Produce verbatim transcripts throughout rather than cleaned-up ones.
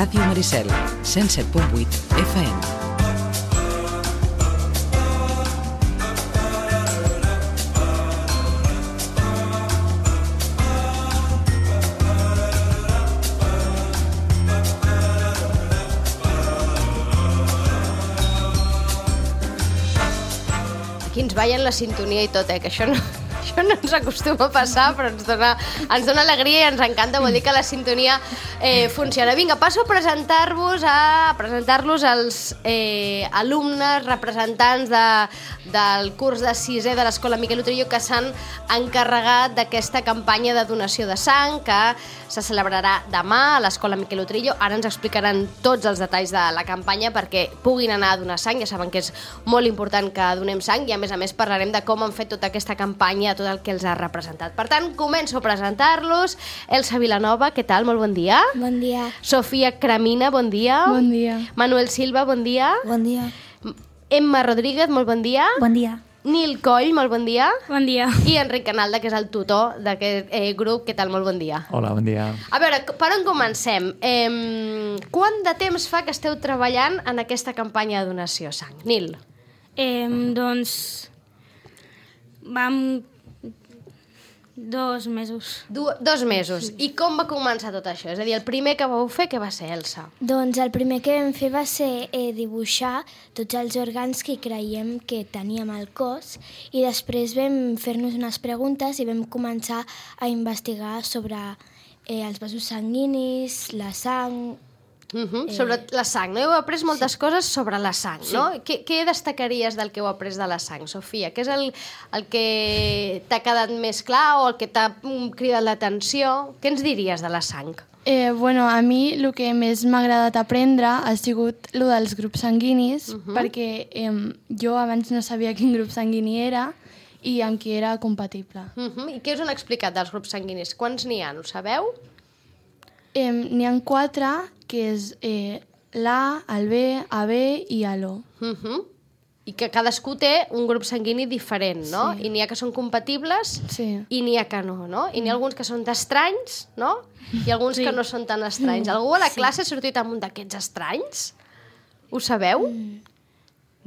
Ràdio Maricel, cent set punt vuit F M. Aquí ens ballen la sintonia i tot, eh? Que això no, això no ens acostuma a passar, però ens dona, ens dona alegria i ens encanta, vol dir que la sintonia eh, funciona. Vinga, passo a presentar-vos a presentar-los als eh, alumnes, representants de, del curs de sisè de l'Escola Miquel Utrillo que s'han encarregat d'aquesta campanya de donació de sang que se celebrarà demà a l'Escola Miquel Utrillo. Ara ens explicaran tots els detalls de la campanya perquè puguin anar a donar sang. Ja saben que és molt important que donem sang i a més a més parlarem de com han fet tota aquesta campanya, tot el que els ha representat. Per tant, començo a presentar-los. Elsa Vilanova, què tal? Molt bon dia. Bon dia. Sofia Cramina, bon dia. Bon dia. Manuel Silva, bon dia. Bon dia. Emma Rodríguez, molt bon dia. Bon dia. Nil Coll, molt bon dia. Bon dia. I Enric Canalda, que és el tutor d'aquest eh, grup. Què tal? Molt bon dia. Hola, bon dia. A veure, per on comencem? Eh, quant de temps fa que esteu treballant en aquesta campanya de donació de sang? Nil? Eh, doncs... Vam... Dos mesos. Du dos mesos. I com va començar tot això? És a dir, el primer que vau fer, què va ser, Elsa? Doncs el primer que vam fer va ser eh, dibuixar tots els òrgans que creiem que teníem al cos i després vam fer-nos unes preguntes i vam començar a investigar sobre eh, els vasos sanguinis, la sang... Uh-huh. eh... Sobre la sang, no? Heu après moltes sí. coses sobre la sang, sí. no? Què, què destacaries del que heu après de la sang, Sofia? Què és el, el que t'ha quedat més clar o el que t'ha cridat l'atenció? Què ens diries de la sang? Eh, bueno, a mi el que més m'ha agradat aprendre ha sigut el dels grups sanguinis, uh-huh. perquè eh, jo abans no sabia quin grup sanguini era i amb qui era compatible. Uh-huh. I què us han explicat dels grups sanguinis? Quants n'hi ha, ho sabeu? Eh, n'hi ha quatre, que és eh, l'A, el B, A B i l'O. Uh-huh. I que cadascú té un grup sanguini diferent, no? Sí. I n'hi ha que són compatibles sí. i n'hi ha que no, no? I n'hi ha alguns que són estranys, no? I alguns sí. que no són tan estranys. Algú a la classe ha sortit amb un d'aquests estranys? Ho sabeu? Mm.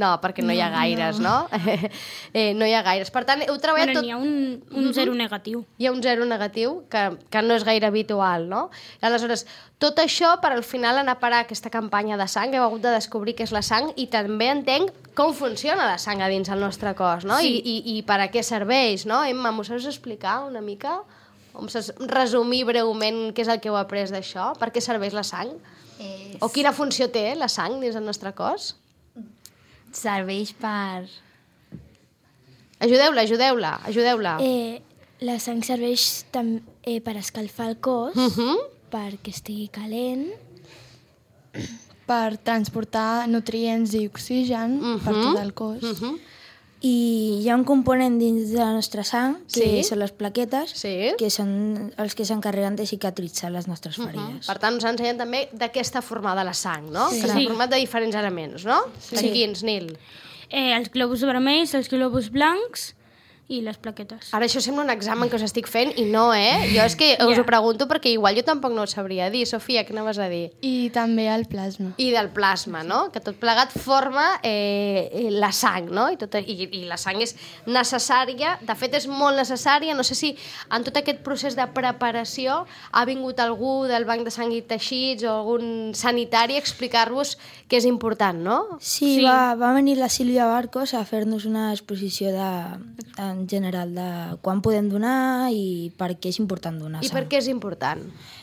No, perquè no, no hi ha gaires, no? no? eh, no hi ha gaires. Per tant, heu treballat bueno, tot... N'hi ha un, un uh-huh. zero negatiu. Hi ha un zero negatiu, que, que no és gaire habitual, no? Aleshores, tot això per al final anar a parar aquesta campanya de sang, heu hagut de descobrir què és la sang i també entenc com funciona la sang a dins el nostre cos, no? Sí. I, i, i per a què serveix, no? Emma, m'ho saps explicar una mica? O em saps resumir breument què és el que heu après d'això? Per què serveix la sang? És... O quina funció té la sang dins el nostre cos? Serveix per... Ajudeu-la, ajudeu-la, ajudeu-la. Eh, la sang serveix tam eh, per escalfar el cos, Uh-huh. perquè estigui calent. Per transportar nutrients i oxigen Uh-huh. per tot el cos. Uh-huh. I hi ha un component dins de la nostra sang, que Sí. són les plaquetes, Sí. que són els que s'encarreguen de cicatritzar les nostres ferides. Per tant, us ensenyen també de què està formada la sang, no? Sí. Que està Sí. format de diferents elements, no? Sí. De quins, Nil? Eh, els globus vermells, els globus blancs i les plaquetes. Ara això sembla un examen que us estic fent i no, eh? Jo és que us Ja. ho pregunto perquè igual jo tampoc no ho sabria dir. Sofia, què anaves a dir? I també el plasma. I del plasma, no? Que tot plegat forma eh, la sang, no? I, tot, i, I la sang és necessària, de fet és molt necessària. No sé si en tot aquest procés de preparació ha vingut algú del Banc de Sang i Teixits o algun sanitari a explicar-vos que és important, no? Sí, Sí. Va, va venir la Sílvia Barcos a fer-nos una exposició de, en general de quan podem donar i per què és important donar I sang. per què és important?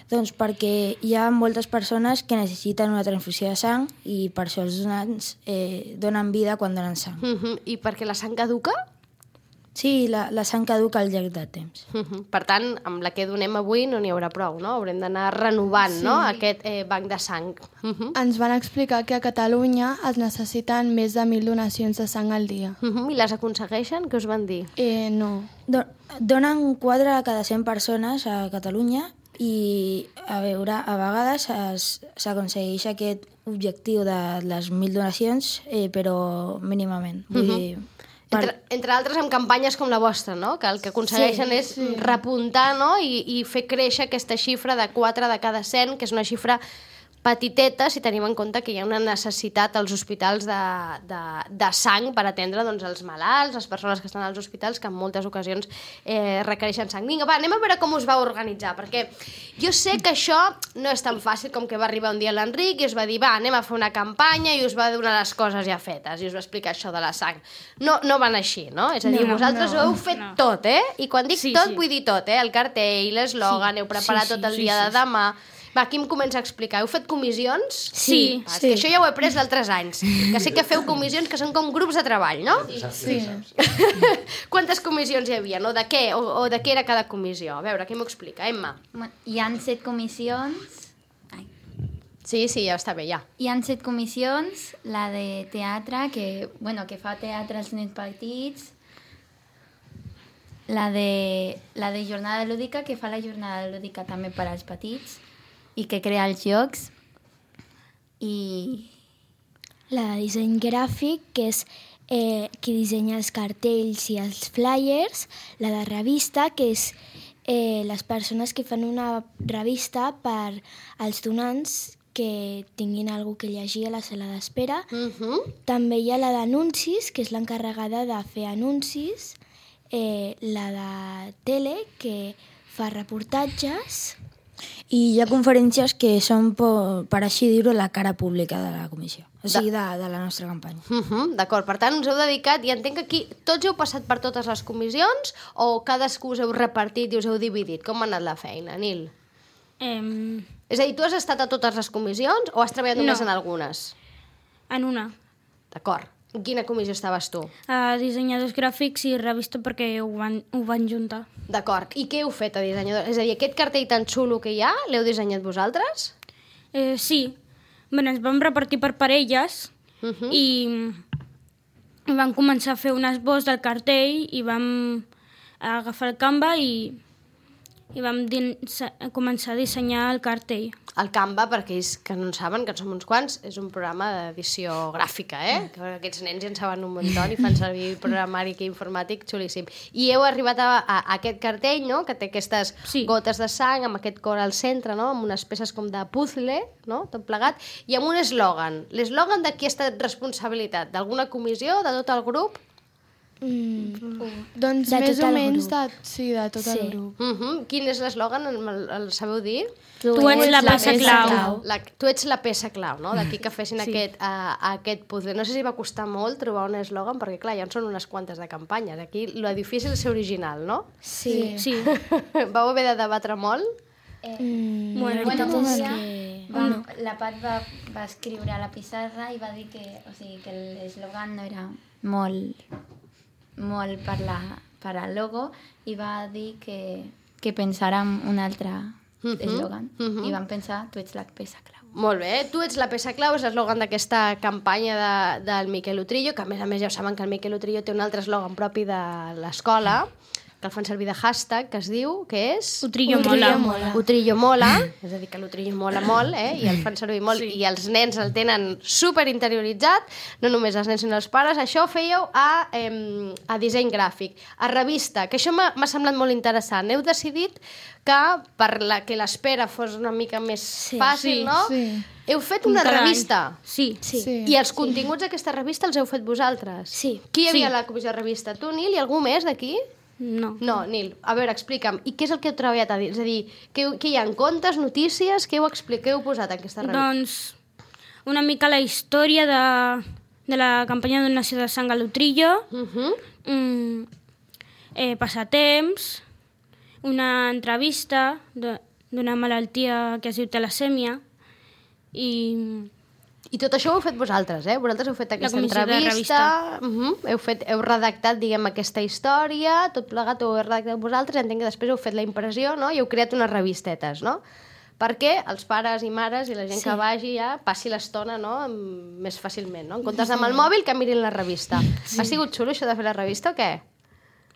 Doncs perquè hi ha moltes persones que necessiten una transfusió de sang i per això els donants eh, donen vida quan donen sang. Uh -huh. I perquè la sang caduca? Sí, la, la sang caduca al llarg del temps. Uh -huh. Per tant, amb la que donem avui no n'hi haurà prou, no? Haurem d'anar renovant, sí. no?, aquest eh, banc de sang. Uh -huh. Ens van explicar que a Catalunya es necessiten més de mil donacions de sang al dia. Uh -huh. I les aconsegueixen? Què us van dir? Eh, no. Do, donen quatre a cada cent persones a Catalunya i a veure, a vegades es- s'aconsegueix aquest objectiu de les mil donacions, eh, però mínimament. Vull Mhm. dir, per- Entre, entre altres amb campanyes com la vostra, no? Que el que aconsegueixen Sí, és sí. repuntar, no? I, i fer créixer aquesta xifra de quatre de cada cent, que és una xifra petiteta si tenim en compte que hi ha una necessitat als hospitals de, de, de sang per atendre doncs, els malalts, les persones que estan als hospitals, que en moltes ocasions eh, requereixen sang. Vinga, va, anem a veure com us va organitzar, perquè jo sé que això no és tan fàcil com que va arribar un dia l'Enric i us va dir, va, anem a fer una campanya i us va donar les coses ja fetes i us va explicar això de la sang. No, no van així, no? És a dir, No, vosaltres no, ho heu fet no. tot, eh? I quan dic Sí, tot, sí. vull dir tot, eh? El cartell, l'eslògan, Sí, heu preparat sí, sí, tot el sí, dia sí, de demà. Va, qui em comença a explicar? Heu fet comissions? Sí, Ah, és que això ja ho he après d'altres anys. Que sé que feu comissions que són com grups de treball, no? Sí. Quantes comissions hi havia, no? De què? O, o de què era cada comissió? A veure, qui m'ho explica? Emma. Bueno, hi han set comissions. Ai. Sí, sí, ja està bé, ja. Hi han set comissions, la de teatre, que, bueno, que fa teatre als nens petits, la de, la de jornada lúdica, que fa la jornada lúdica també per als petits i que crea els jocs. I La de disseny gràfic, que és eh, qui dissenya els cartells i els flyers. La de revista, que és eh, les persones que fan una revista per als donants que tinguin alguna que llegir a la sala d'espera. Uh -huh. També hi ha la d'anuncis, que és l'encarregada de fer anuncis. Eh, la de tele, que fa reportatges. I hi ha conferències que són, per, per així dir-ho, la cara pública de la comissió, o sigui, de, de la nostra campanya. Uh -huh. D'acord, per tant, us heu dedicat, i entenc que aquí tots heu passat per totes les comissions o cadascú us heu repartit i us heu dividit? Com ha anat la feina, Nil? Eh, És a dir, tu has estat a totes les comissions o has treballat només No. en algunes? en una. D'acord. En quina comissió estaves tu? A dissenyadors gràfics i revista perquè ho van, ho van juntar. D'acord. I què heu fet a dissenyador? És a dir, aquest cartell tan xulo que hi ha, l'heu dissenyat vosaltres? Eh, sí. Bueno, ens vam repartir per parelles Uh -huh. i vam començar a fer un esbós del cartell i vam agafar el Canva i, i vam din- començar a dissenyar el cartell. El Canva, per aquells que no en saben, que en som uns quants, és un programa d'edició gràfica, eh? Que aquests nens ja en saben un muntó i fan servir programari aquí informàtic xulíssim. I heu arribat a, a, a aquest cartell, no?, que té aquestes Sí. gotes de sang, amb aquest cor al centre, no?, amb unes peces com de puzzle, no?, tot plegat, i amb un eslògan. L'eslògan de qui ha estat responsabilitat? D'alguna comissió? De tot el grup? Mm. Doncs De més tot o el menys grup. de, sí, de tot Sí. el grup. Uh -huh. Quin és l'eslògan? El, el sabeu dir? Tu ets la peça clau. La, tu ets la peça clau, no? D'aquí que fessin sí. aquest, uh, aquest puzzle. No sé si va costar molt trobar un eslògan, perquè clar, ja en són unes quantes de campanyes. Aquí lo difícil és ser original, no? Sí. Sí. Vau haver de debatre molt? Mm, Bueno, la veritat bueno, és sí. que... va, la Pat va, va escriure a la pissarra i va dir que, o sigui, que l'eslògan no era molt, molt per, la, per al logo i va dir que, que pensàrem un altre Mhm, eslògan mhm. i vam pensar tu ets la peça clau. Molt bé, tu ets la peça clau, és l'eslògan d'aquesta campanya de, del Miquel Utrillo, que a més a més ja ho saben que el Miquel Utrillo té un altre eslògan propi de l'escola, que el fan servir de hashtag, que es diu, que és... Utrillo mola. mola. Utrillo mola, és a dir, que l'Utrillo mola molt, eh? I el fan servir molt, sí. I els nens el tenen super interioritzat, no només els nens sinó els pares. Això ho fèieu a, eh, a disseny gràfic, a revista, que això m'ha m'ha semblat molt interessant. Heu decidit que per la, que l'espera fos una mica més Sí. fàcil, Sí, no? sí. Heu fet una Cada any. revista. Sí. Sí. Sí. I els continguts d'aquesta revista els heu fet vosaltres? Sí. Qui hi havia Sí. a la comissió de revista? Tu, Nil, i algú més d'aquí? No. No, Nil, a veure, explica'm, i què és el que heu treballat a dir? És a dir, què, què hi ha, contes, notícies, què heu, explicat, què heu posat en aquesta revista? Doncs una mica la història de, de la campanya de donació de sang a l'Utrillo, Uh -huh. mm, eh, passatemps, una entrevista de- d'una malaltia que es diu talasèmia i I tot això ho heu fet vosaltres, eh? Vosaltres heu fet aquesta comissió de entrevista, uh -huh. heu, fet, heu redactat, diguem, aquesta història, tot plegat ho heu redactat vosaltres, entenc que després heu fet la impressió, no?, i heu creat unes revistetes, no?, perquè els pares i mares i la gent Sí. que vagi ja passi l'estona, no?, amb- més fàcilment, no?, en comptes amb el mòbil que mirin la revista. Sí. Ha sigut xulo això de fer la revista o què?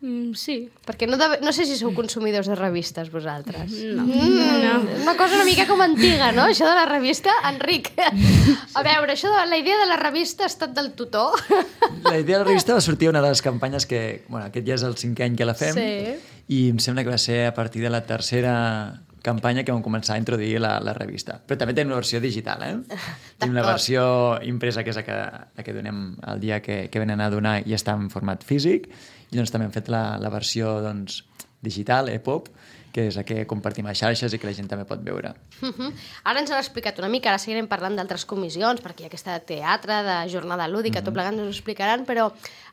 mm, sí. Perquè no, de, no sé si sou consumidors de revistes, vosaltres. No. Mm, no. Una cosa una mica com antiga, no?, això de la revista. Enric, a veure, això de la idea de la revista ha estat del tutor. La idea de la revista va sortir una de les campanyes que... Bueno, aquest ja és el cinquè any que la fem. Sí. I em sembla que va ser a partir de la tercera campanya que vam començar a introduir la, la revista. Però també tenim una versió digital, eh? Tenim la versió impresa, que és la que, la que donem el dia que, que venen a donar i està en format físic, i doncs també hem fet la, la versió doncs, digital, e-pop, que és la que compartim a xarxes i que la gent també pot veure. Uh-huh. Ara ens han explicat una mica, ara seguirem parlant d'altres comissions, perquè hi ha aquesta teatre, de jornada lúdica, uh-huh. tot plegat ens ho explicaran, però,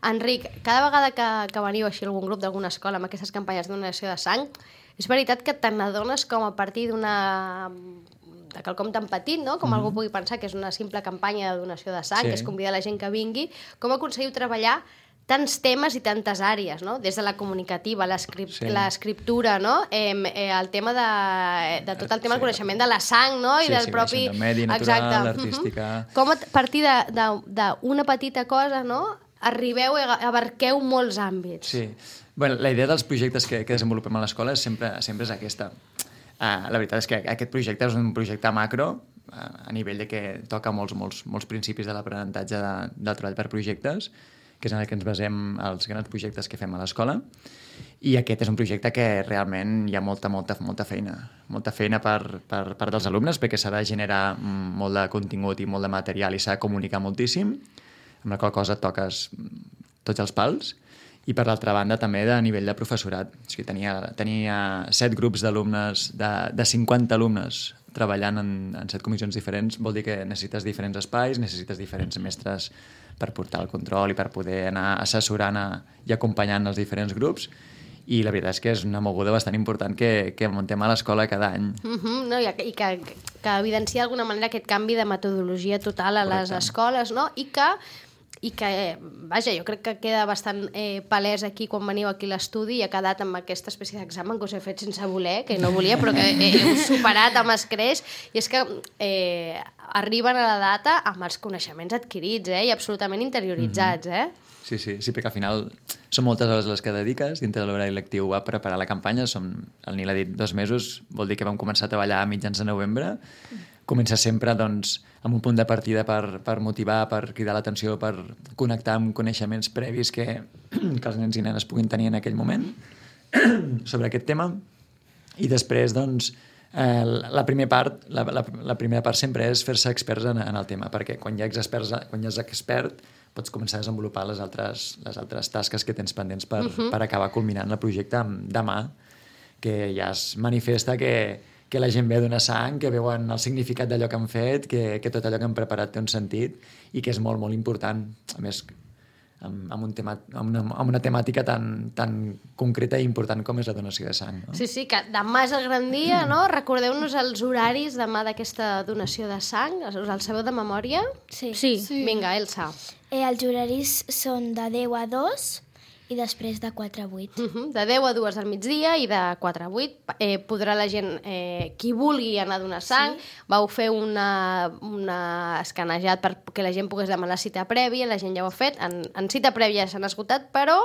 Enric, cada vegada que, que veniu així a algun grup d'alguna escola amb aquestes campanyes de donació de sang, és veritat que te n'adones com a partir d'una de quelcom tan petit, no? Com mm-hmm. algú pugui pensar que és una simple campanya de donació de sang, sí. que és convidar la gent que vingui, com aconseguiu treballar tants temes i tantes àrees, no? Des de la comunicativa, l'escriptura, sí. no? Eh, eh, el tema de, de tot el tema del sí. coneixement de la sang, no? I sí, del sí, propi... del medi natural, l'artística... Uh-huh. Com a partir d'una petita cosa, no? Arribeu, abarqueu molts àmbits. Sí. Bueno, la idea dels projectes que, que desenvolupem a l'escola sempre, sempre és aquesta. Uh, la veritat és que aquest projecte és un projecte macro, uh, a nivell de que toca molts, molts, molts principis de l'aprenentatge de, del treball per projectes, que és en el que ens basem els grans projectes que fem a l'escola, i aquest és un projecte que realment hi ha molta, molta, molta feina. Molta feina per, per part dels alumnes, perquè s'ha de generar molt de contingut i molt de material i s'ha de comunicar moltíssim, amb la qual cosa toques tots els pals, i per l'altra banda també de nivell de professorat. O sigui, tenia, tenia set grups d'alumnes, de, de cinquanta alumnes treballant en, en set comissions diferents, vol dir que necessites diferents espais, necessites diferents mestres per portar el control i per poder anar assessorant a, i acompanyant els diferents grups, i la veritat és que és una moguda bastant important que, que muntem a l'escola cada any. Uh-huh, no? I, i que, que evidencia d'alguna manera aquest canvi de metodologia total a les Correcte. Escoles, no? I que i que, vaja, jo crec que queda bastant eh, palès aquí quan veniu aquí a l'estudi i ha quedat amb aquesta espècie d'examen que us he fet sense voler, que no volia, però que eh, heu superat amb escreix, i és que eh, arriben a la data amb els coneixements adquirits eh, i absolutament interioritzats. Eh? Sí, sí, sí, perquè al final són moltes hores les que dediques dintre de l'horari lectiu a preparar la campanya. Som, el Nil ha dit dos mesos, vol dir que vam començar a treballar a mitjans de novembre. Comença sempre doncs, amb un punt de partida per, per motivar, per cridar l'atenció, per connectar amb coneixements previs que, que els nens i nenes puguin tenir en aquell moment sobre aquest tema. I després, doncs, eh, la, primera part, la, la, la primera part sempre és fer-se experts en, en el tema, perquè quan ja ets expert, quan ja ets expert pots començar a desenvolupar les altres, les altres tasques que tens pendents per, uh-huh. per acabar culminant el projecte demà, que ja es manifesta que, que la gent ve a donar sang, que veuen el significat d'allò que han fet, que, que tot allò que han preparat té un sentit i que és molt, molt important. A més, amb, amb, un tema, amb, una, amb una temàtica tan, tan concreta i important com és la donació de sang. No? Sí, sí, que demà és el gran dia, no? Recordeu-nos els horaris demà d'aquesta donació de sang. Us el sabeu de memòria? Sí. Sí. sí. Vinga, Elsa. Eh, els horaris són de deu a dos i després de quatre a vuit. Uh-huh. De deu a dues del migdia i de quatre a vuit eh, podrà la gent, eh, qui vulgui anar a donar sang. Sí. Vau fer una, una escanejat perquè la gent pogués demanar cita prèvia, la gent ja ho ha fet, en, en cita prèvia s'han esgotat, però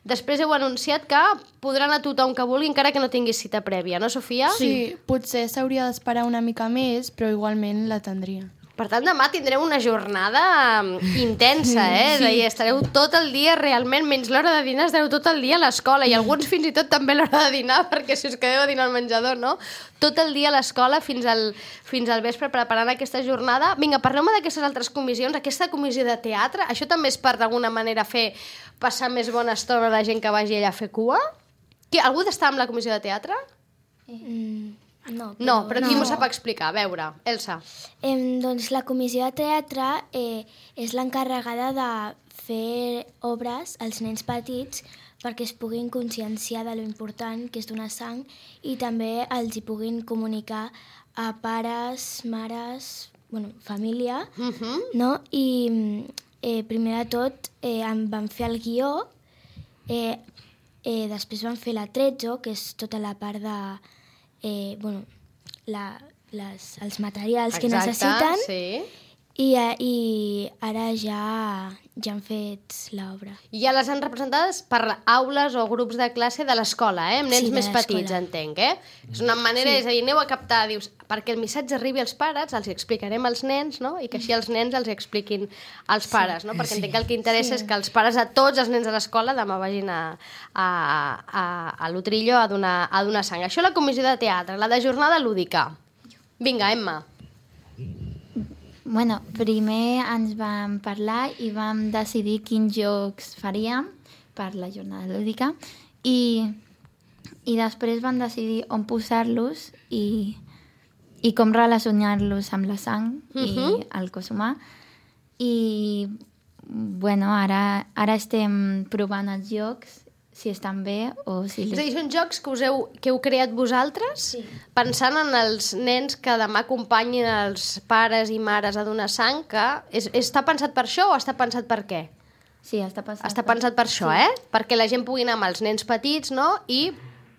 després heu anunciat que podrà anar tothom que vulgui encara que no tingui cita prèvia, no, Sofia? Sí, potser s'hauria d'esperar una mica més, però igualment la tindria. Per tant, demà tindreu una jornada intensa, eh? Sí. És a dir, estareu tot el dia realment, menys l'hora de dinar, estareu tot el dia a l'escola, i alguns fins i tot també l'hora de dinar, perquè si us quedeu a dinar al menjador, no? Tot el dia a l'escola fins al, fins al vespre preparant aquesta jornada. Vinga, parleu-me d'aquestes altres comissions, aquesta comissió de teatre, això també és per d'alguna manera fer passar més bona estona a la gent que vagi allà a fer cua? Qui, algú d'estar amb la comissió de teatre? Mm. No, però, no, però qui no. m'ho sap explicar? A veure, Elsa. Eh, doncs la comissió de teatre eh, és l'encarregada de fer obres als nens petits perquè es puguin conscienciar de lo important que és donar sang i també els hi puguin comunicar a pares, mares, bueno, família, Uh-huh. no? I eh, primer de tot eh, em van fer el guió, eh, eh, després van fer l'atrezzo, que és tota la part de... Eh, bueno, la, les, els materials Exacte, que necessiten sí. I, eh, i ara ja, ja han fet l'obra. I ja les han representades per aules o grups de classe de l'escola, eh? Amb nens Sí, de més l'escola. petits, entenc, eh? És una manera, sí. És a dir, aneu a captar, dius, perquè el missatge arribi als pares, els explicarem als nens, no? I que així els nens els expliquin als pares, no? Perquè entenc que el que interessa sí. és que els pares a tots els nens de l'escola demà vagin a, a, a, a l'Utrillo a donar, a donar sang. Això la comissió de teatre, la de jornada lúdica. Vinga, Emma. Bueno, primer ens vam parlar i vam decidir quins jocs faríem per la jornada lúdica i, i després vam decidir on posar-los i, i com relacionar-los amb la sang uh-huh. i el cos humà. I bueno, ara, ara estem provant els jocs, si estan bé o si... És a dir, són jocs que, us heu, que heu creat vosaltres, sí. pensant en els nens que demà acompanyin els pares i mares a donar sang, que és, està pensat per això o està pensat per què? Sí, està pensat, està pensat per això, sí. eh? Perquè la gent pugui anar amb els nens petits, no?, i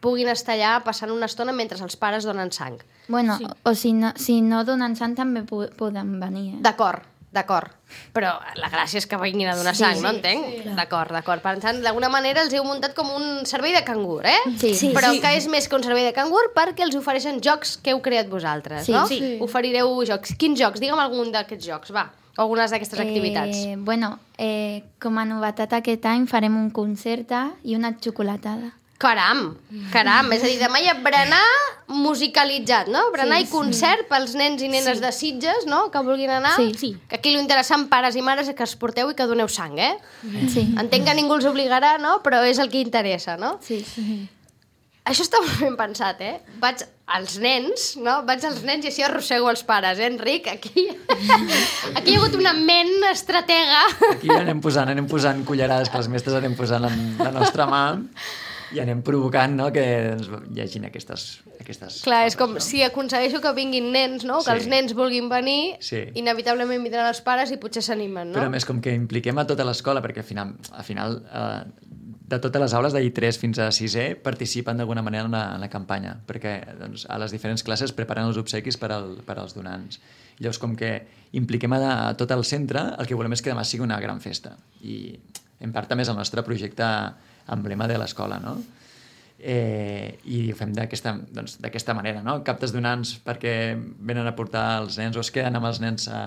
puguin estar allà passant una estona mentre els pares donen sang. Bueno, Sí. o si no, si no donen sang també po- poden venir. Eh? D'acord, d'acord. Però la gràcia és que vinguin a donar Sí, sang, sí, no entenc? Sí, d'acord, d'acord. Per tant, d'alguna manera els heu muntat com un servei de cangur, eh? Sí. Sí, Però sí. que és més que un servei de cangur perquè els ofereixen jocs que heu creat vosaltres, Sí, no? sí. Oferireu jocs. Quins jocs? Digue'm algun d'aquests jocs, va. O algunes d'aquestes activitats. Eh, bueno, eh, com a novetat aquest any farem un concert i una xocolatada. Caram, caram. És a dir, demà hi ha berenar musicalitzat, no? Berenar Sí, i concert pels nens i nenes de Sitges, no?, que vulguin anar. Sí. Sí. Que aquí l'interessant, pares i mares, és que es porteu i que doneu sang, eh? Sí. Entenc que ningú els obligarà, no?, però és el que interessa, no? Sí. Això està molt ben pensat, eh? Vaig als nens, no? Vaig als nens i així arrossego els pares, eh, Enric? Aquí, aquí hi ha hagut una ment estratega. Aquí anem posant, anem posant cullerades que els mestres anem posant en la nostra mà i anem provocant, no?, que ens llegin aquestes, aquestes Clar, és coses, com no? si aconsegueixo que vinguin nens, no? Que Sí. els nens vulguin venir, Sí. inevitablement vindran els pares i potser s'animen, no? Però a més, com que impliquem a tota l'escola, perquè al final, al final eh, de totes les aules, d'I tres fins a sisè, participen d'alguna manera en la, en la campanya, perquè doncs, a les diferents classes preparen els obsequis per, al, per als donants. I llavors, com que impliquem a, a tot el centre, el que volem és que demà sigui una gran festa. I en part també és el nostre projecte emblema de l'escola, no? Eh, i ho fem d'aquesta doncs, d'aquesta manera, no? Captes donants perquè venen a portar els nens o es queden amb els nens a,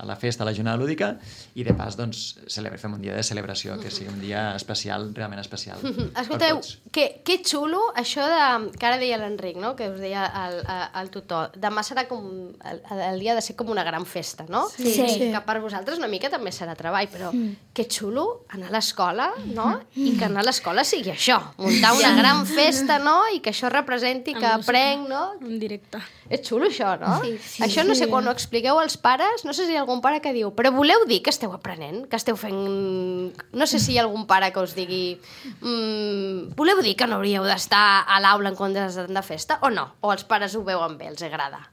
a la festa, a la jornada lúdica, i de pas doncs, celebra, fem un dia de celebració, que sigui un dia especial, realment especial. Escolteu, per tots. que, que xulo això de, que ara deia l'Enric, no?, que us deia el, el tutor, demà serà com el, el dia de ser com una gran festa, no? Sí. Sí. Que per vosaltres una mica també serà treball, però que xulo anar a l'escola, no?, i que anar a l'escola sigui això, muntar una gran festa, no?, i que això representi que Amb música. aprenc, no? En directe. És xulo això, no? Sí, sí. Això no sé, quan ho expliqueu als pares, no sé si hi ha algun pare que diu, però voleu dir que esteu aprenent, que esteu fent... No sé si hi ha algun pare que us digui mmm, voleu dir que no hauríeu d'estar a l'aula en comptes de festa, o no? O els pares ho veuen bé, els agrada?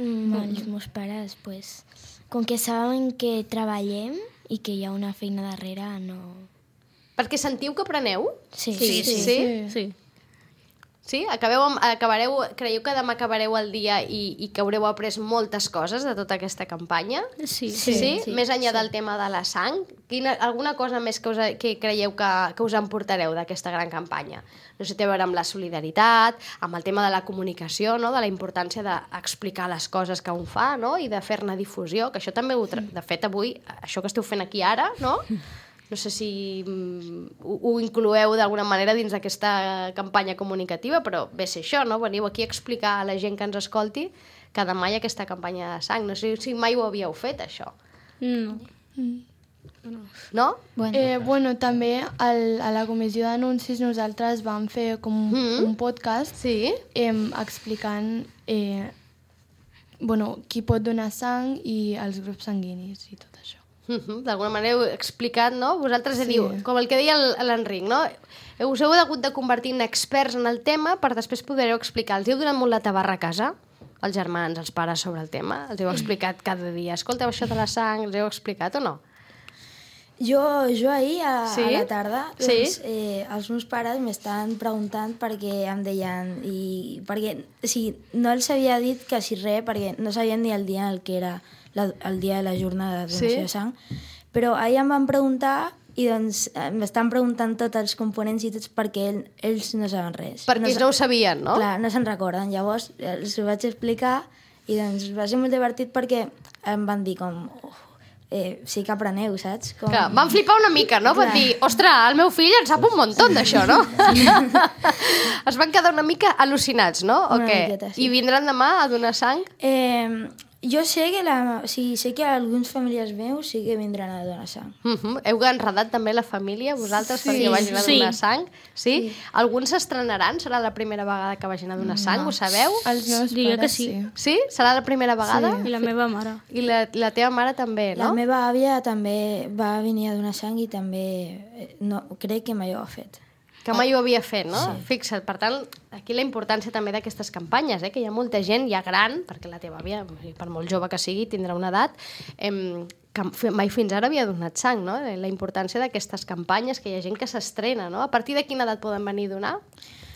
Mm, els meus pares, pues, com que saben que treballem i que hi ha una feina darrere, no... Perquè sentiu que apreneu? Sí, Sí, sí. sí. Sí. Sí? Acabeu amb, acabareu, creieu que demà acabareu el dia i, i que haureu après moltes coses de tota aquesta campanya? Sí. Sí? sí? sí, Més enllà sí. del tema de la sang? Quina, alguna cosa més que, us, que creieu que, que us emportareu d'aquesta gran campanya? No sé, té a veure amb la solidaritat, amb el tema de la comunicació, no?, de la importància d'explicar les coses que un fa, no?, i de fer-ne difusió, que això també, ho tra... de fet, avui, això que esteu fent aquí ara, no?, no sé si mm, ho, ho incloeu d'alguna manera dins d'aquesta campanya comunicativa, però ve ser això, no? Veniu aquí a explicar a la gent que ens escolti que demà hi ha aquesta campanya de sang. No sé si mai ho havíeu fet, això. No. No? Bueno, Eh, bueno, també al, a la comissió d'anuncis nosaltres vam fer com un, Mhm. un podcast Sí? eh, explicant eh, bueno, qui pot donar sang i els grups sanguinis i tot això. Uh-huh. D'alguna manera heu explicat, no? Vosaltres Sí. diu, com el que deia el- l'Enric, no? Us heu hagut de convertir en experts en el tema per després poder-ho explicar. Els heu donat molt la tabarra a casa, els germans, els pares, sobre el tema? Els heu explicat cada dia? Escolteu, això de la sang, els heu explicat o no? Jo, jo ahir, a, Sí? a la tarda, Sí? doncs, eh, els meus pares m'estaven preguntant perquè em deien... I, perquè, o sigui, no els havia dit quasi res perquè no sabien ni el dia en el que era la, el dia de la jornada de donació Sí? de sang, però ahir em van preguntar i doncs m'estan preguntant tots els components i tots perquè ell, ells no saben res. Perquè no, ells no ho sabien, no? Clar, no se'n recorden. Llavors els ho vaig explicar i doncs va ser molt divertit perquè em van dir com... Oh, eh, sí que apreneu, saps? Com... Clar, van flipar una mica, no? Van Clar. dir, ostres, el meu fill en sap un muntó d'això, no? Es van quedar una mica al·lucinats, no? O Una què? miqueta, sí. I vindran demà a donar sang? Eh, jo sé que, la, sí, sé que alguns familiars meus sí que vindran a donar sang. Uh -huh. Heu enredat també la família, vosaltres, Sí. perquè vagin a Sí. donar sang? Sí? sí. Alguns s'estrenaran? Serà la primera vegada que vagin a donar sang? Ho sabeu? Els meus Diria pares, que sí. Sí? Serà la primera vegada? I la meva mare. I la, la teva mare també, La no? meva àvia també va venir a donar sang i també eh, no, crec que mai ho ha fet. Que mai ho havia fet, no? Sí. Fixa't, per tant, aquí la importància també d'aquestes campanyes, eh? Que hi ha molta gent ja gran, perquè la teva àvia, per molt jove que sigui, tindrà una edat, eh, que mai fins ara havia donat sang, no? La importància d'aquestes campanyes, que hi ha gent que s'estrena, no? A partir de quina edat poden venir a donar?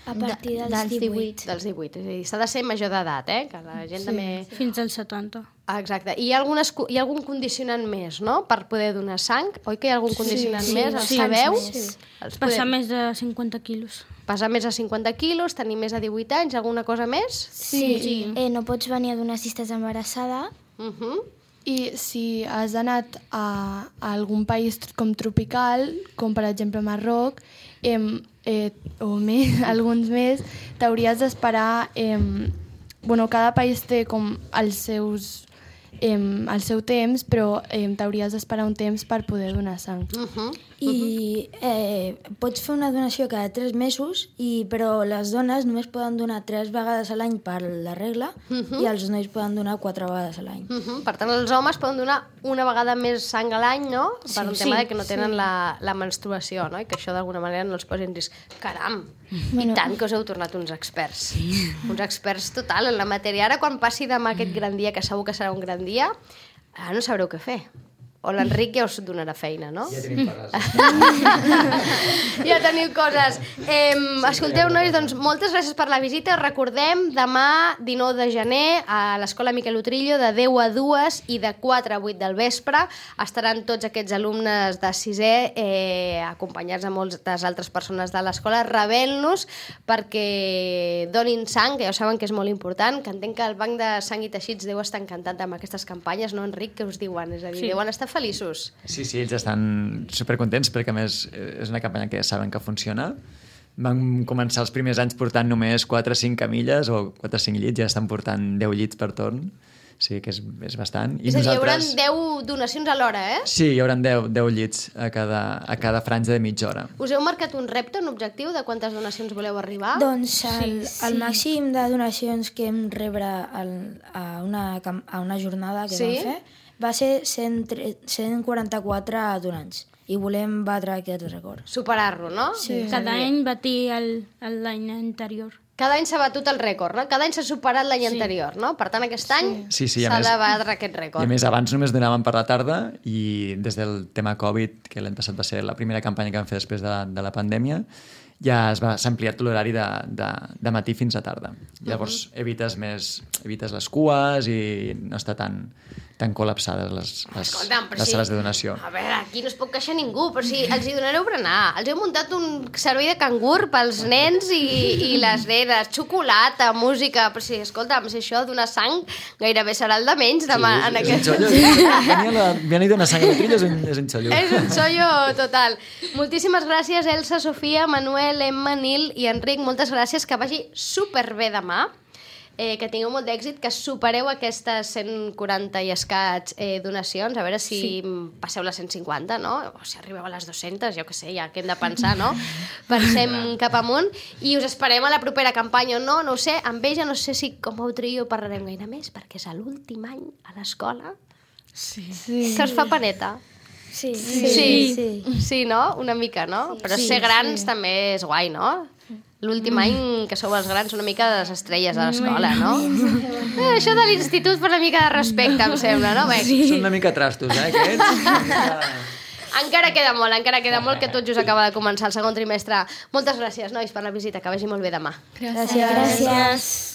A partir dels, dels divuit. Dels divuit, és a dir, s'ha de ser major d'edat, eh? Que la gent sí. també... Fins als setanta. Ah, exacte. I hi ha, algunes, hi ha algun condicionant més, no?, per poder donar sang? Oi que hi ha algun condicionant sí, més? El sí, sabeu? més. Els Passar podem- més de cinquanta quilos. Pesar més de cinquanta quilos, tenir més de divuit anys, alguna cosa més? Sí, sí. Eh, no pots venir a donar si estàs embarassada. Uh -huh. I si has anat a, a algun país com tropical, com per exemple Marroc, eh, eh, o més, alguns més, t'hauries d'esperar... Eh, bueno, cada país té com els seus, eh, el seu temps, però eh, t'hauries d'esperar un temps per poder donar sang. Uh -huh. I eh, pots fer una donació cada tres mesos, i, però les dones només poden donar tres vegades a l'any per la regla Mhm. i els nois poden donar quatre vegades a l'any. Uh -huh. Per tant, els homes poden donar una vegada més sang a l'any, no?, per un tema sí, de que no tenen sí. la, la menstruació, no?, i que això d'alguna manera no els posi en risc. Caram! Bueno. I tant que us heu tornat uns experts. Sí. Uns experts total en la matèria. Ara, quan passi demà aquest gran dia, que segur que serà un gran dia, ara no sabreu què fer. O l'Enric ja us donarà feina, no? Ja tenim coses. Ja teniu coses. Eh, escolteu, nois, doncs moltes gràcies per la visita. Recordem, demà, dinou de gener, a l'Escola Miquel Utrillo, de deu a dues i de quatre a vuit del vespre. Estaran tots aquests alumnes de sisè, eh, acompanyats de moltes altres persones de l'escola, rebent-los perquè donin sang, que ja ho saben que és molt important, que entenc que el Banc de Sang i Teixits deu estar encantat amb aquestes campanyes, no, Enric? Què us diuen? És a dir, Sí. deuen estar feliços. Sí, sí, ells estan supercontents perquè, a més, és una campanya que ja saben que funciona. Van començar els primers anys portant només quatre o cinc camilles o quatre o cinc llits, ja estan portant deu llits per torn. Sí, que és, és bastant. I és a dir, hi haurà deu donacions alhora, eh? Sí, hi haurà deu, deu llits a cada, a cada franja de mitja hora. Us heu marcat un repte, un objectiu de quantes donacions voleu arribar? Doncs el, Sí, el sí. màxim de donacions que hem rebre al, a, una, cam- a una jornada que Sí? vam fer va ser cent, tre- cent quaranta-quatre donants i volem batre aquest rècord. Superar-lo, no? Sí. Cada any batir el- el- l'any anterior. Cada any s'ha batut el rècord, no? Cada any s'ha superat l'any anterior, no? Per tant, aquest any Sí, sí, a s'ha més- de batre aquest I rècord. a més, abans només donaven per la tarda i des del tema Covid, que l'any passat va ser la primera campanya que vam fer després de, de la pandèmia, ja es va- s'ha ampliat l'horari de, de, de matí fins a tarda. Llavors evites més evites les cues i no està tan, tan col·lapsades les, les, Escolta'm, però les sí. sales de donació. A veure, aquí no es pot queixar ningú, però si els hi donareu berenar. Els heu muntat un servei de cangur pels nens i, i les nenes, xocolata, música, però si, escolta'm, si això donar sang gairebé serà el de menys demà en és aquest... un xollo. Venir a la, venir a donar sang a la trilla és un, és un xollo. És un xollo total. Moltíssimes gràcies, Elsa, Sofia, Manuel, Emma, Nil i Enric. Moltes gràcies, que vagi superbé demà. Eh, que tingueu molt d'èxit, que supereu aquestes cent quaranta i escaig eh, donacions, a veure si sí. passeu les cent cinquanta, no? O si arribeu a les dues-centes, jo què sé, ja que hem de pensar, no? Pensem cap amunt i us esperem a la propera campanya o no, no ho sé, amb ella no sé si com a Utrillo parlarem gaire més, perquè és l'últim any a l'escola. Sí. Se us fa paneta? Sí, Sí, sí. sí, sí, no? Una mica, no? Però Sí, ser grans sí. també és guai, no? L'últim any que sou els grans, una mica de les estrelles de l'escola, no? Eh, això de l'institut per una mica de respecte, em sembla, no? Bé, Són una mica trastos, eh, aquests? encara queda molt, encara queda molt, que tot just acaba de començar el segon trimestre. Moltes gràcies, nois, per la visita, que vagi molt bé demà. Gràcies. Gràcies.